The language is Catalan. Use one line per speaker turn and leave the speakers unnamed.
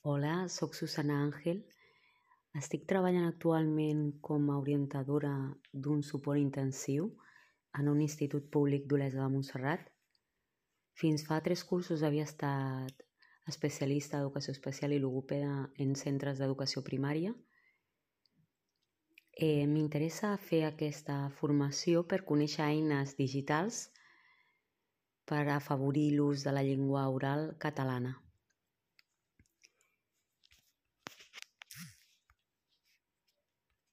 Hola, soc Susana Àngel. Estic treballant actualment com a orientadora d'un suport intensiu en un institut públic d'Olesa de Montserrat. Fins fa 3 cursos havia estat especialista d'educació especial i logopeda en centres d'educació primària. M'interessa fer aquesta formació per conèixer eines digitals per afavorir l'ús de la llengua oral catalana.